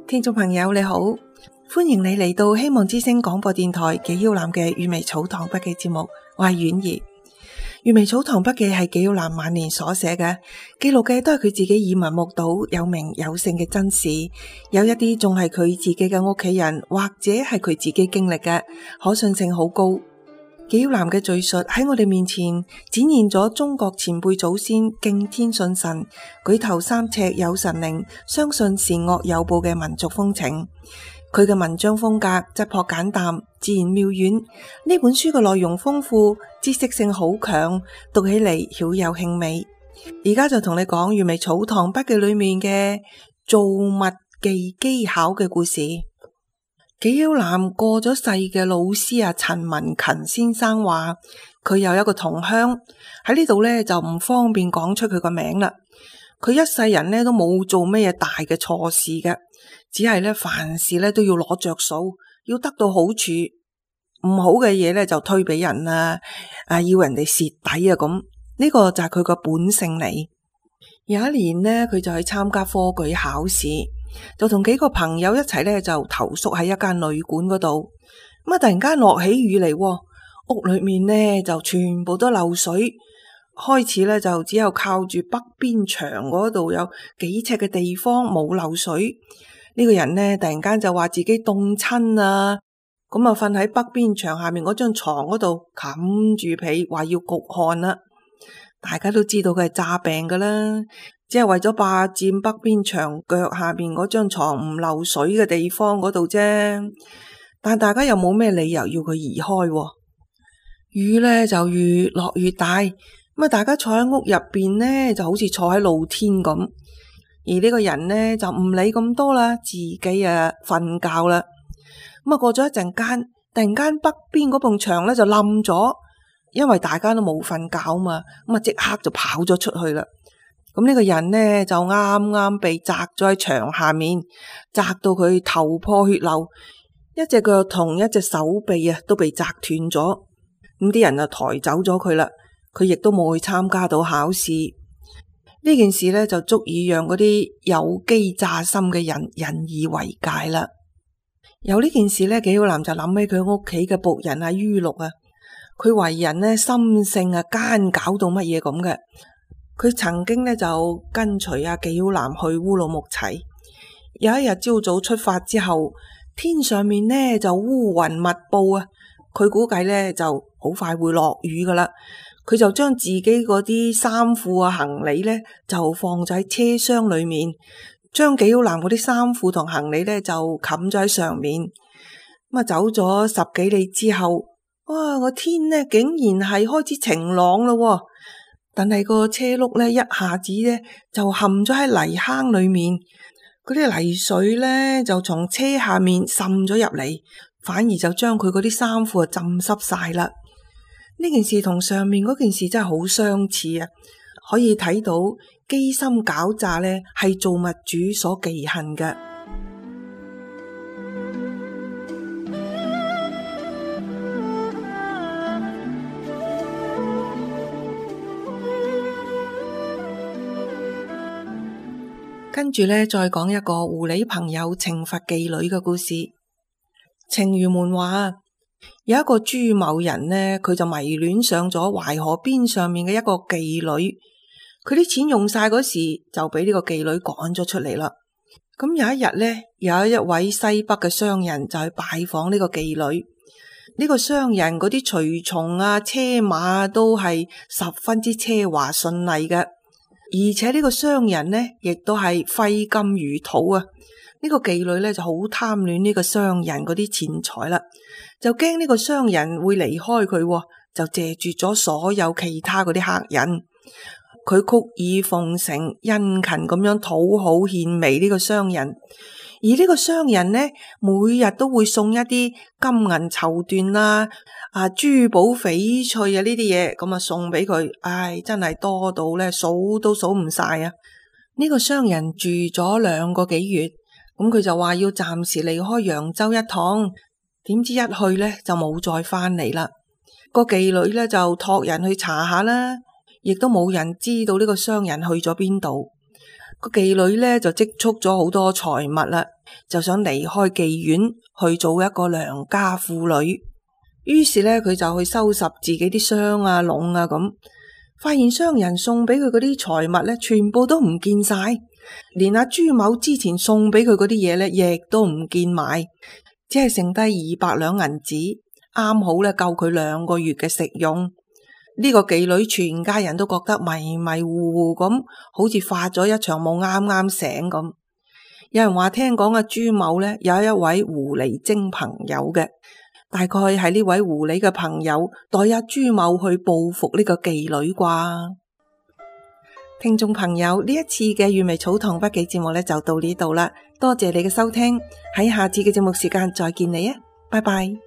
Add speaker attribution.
Speaker 1: 聽眾朋友你好，歡迎你嚟到希望之聲廣播電台紀曉嵐嘅閱微草堂筆記節目，我係婉兒。閱微草堂筆記係紀曉嵐晚年所寫嘅，記錄嘅都係佢自己耳聞目睹有名有姓嘅真事，有一啲仲係佢自己嘅屋企人或者係佢自己經歷嘅，可信性好高。紀曉嵐嘅敘述喺我哋面前展現咗中國前輩祖先敬天信神、舉頭三尺有神靈、相信善惡有報嘅民族風情。佢嘅文章風格質樸簡淡、自然妙遠。呢本書嘅內容豐富，知識性好強，讀起嚟曉有興味。而家就同你講閱微草堂筆記裏面嘅造物技技巧嘅故事。紀曉嵐過咗世嘅老師陳文勤先生話，佢有一個同鄉喺呢度呢，就唔方便講出佢個名啦。佢一世人呢都冇做咩大嘅錯事嘅，只係呢凡事呢都要攞着數，要得到好處，唔好嘅嘢呢就推俾人啦，要人哋蝕底咁。呢個就係佢個本性嚟。有一年呢，佢就去參加科舉考試。就同幾個朋友一齊咧，就投宿喺一間旅館嗰度。咁啊，突然間落起雨嚟，屋裏面呢就全部都漏水。開始咧就只有靠住北邊牆嗰度有幾尺嘅地方冇漏水。呢個人呢突然間就話自己凍親啊，咁啊瞓喺北邊牆下面嗰張床嗰度冚住被，話要焗汗啦。大家都知道佢係詐病噶啦。只係為咗霸佔北邊牆腳下邊嗰張床唔漏水嘅地方嗰度啫，但大家又冇咩理由要佢移開。雨呢就越落越大，咁啊大家坐喺屋入邊呢就好似坐喺露天咁，而呢個人呢就唔理咁多啦，自己瞓覺啦。咁啊過咗一陣間，突然間北邊嗰埲牆呢就冧咗，因為大家都冇瞓覺嘛，咁啊即刻就跑咗出去啦。咁呢個人呢就啱啱被砸咗喺牆下面，砸到佢頭破血流，一隻腳同一隻手臂都被砸斷咗。咁啲人就抬走咗佢啦，佢亦都冇去參加到考試。呢件事呢就足以讓嗰啲有機詐心嘅人引以為戒啦。有呢件事呢，紀曉嵐就諗起佢屋企嘅僕人于六啊，佢為人呢心性奸狡到乜嘢咁嘅。佢曾經呢就跟隨紀曉嵐去烏魯木齊。有一日朝早出發之後，天上面呢就烏雲密布啊，佢估計呢就好快會落雨噶啦。佢就將自己嗰啲衫褲行李呢就放咗喺車廂裏面，將紀曉嵐嗰啲衫褲同行李呢就冚咗喺上面。咁啊走咗10幾里之後，哇，個天呢竟然係開始晴朗咯。但係個車轆呢一下子呢就陷咗喺泥坑裏面，嗰啲泥水呢就從車下面滲咗入嚟，反而就將佢嗰啲衫褲浸濕晒啦。呢件事同上面嗰件事真係好相似啊！可以睇到機心狡詐呢係造物主所忌恨嘅。跟住呢，再講一個狐狸朋友懲罰妓女嘅故事。情餘們話，有一個朱某人呢，佢就迷戀上咗淮河邊上面嘅一個妓女。佢啲錢用晒嗰時，就俾呢個妓女趕咗出嚟啦。咁有一日呢，有一位西北嘅商人就去拜訪呢個妓女。呢個商人嗰啲隨從車馬都係十分之奢華順麗嘅。而且呢個商人呢，亦都係揮金如土啊！呢個妓女呢，就好貪戀呢個商人嗰啲錢財啦，就驚呢個商人會離開佢，就借住咗所有其他嗰啲客人。佢曲意奉承、殷勤咁樣討好獻媚呢個商人，而呢個商人呢，每日都會送一啲金銀綢緞啦、珠寶翡翠呢啲嘢，咁啊送俾佢。真係多到呢數都數唔晒啊！呢個商人住咗2個幾月，咁佢就話要暫時離開揚州一趟，點知一去呢就冇再翻嚟啦。個妓女呢就託人去查下啦，亦都冇人知道呢個商人去咗邊度。個妓女呢就積蓄咗好多財物啦，就想離開妓院去做一個良家婦女。於是呢，佢就去收拾自己啲箱啊、籠啊咁，發現商人送俾佢嗰啲財物呢，全部都唔見晒，連阿朱某之前送俾佢嗰啲嘢呢，亦都唔見埋，只係剩低200兩銀紙，啱好呢夠佢2個月嘅食用。呢個妓女全家人都覺得迷迷糊糊咁，好似發咗一場夢，啱啱醒咁。有人話聽講阿朱某呢有一位狐狸精朋友嘅，大概係呢位狐狸嘅朋友代阿朱某去報復呢個妓女啩。聽眾朋友，呢一次嘅閱微草堂筆記節目呢就到呢度啦，多謝你嘅收聽，喺下次嘅節目時間再見你啊，拜拜。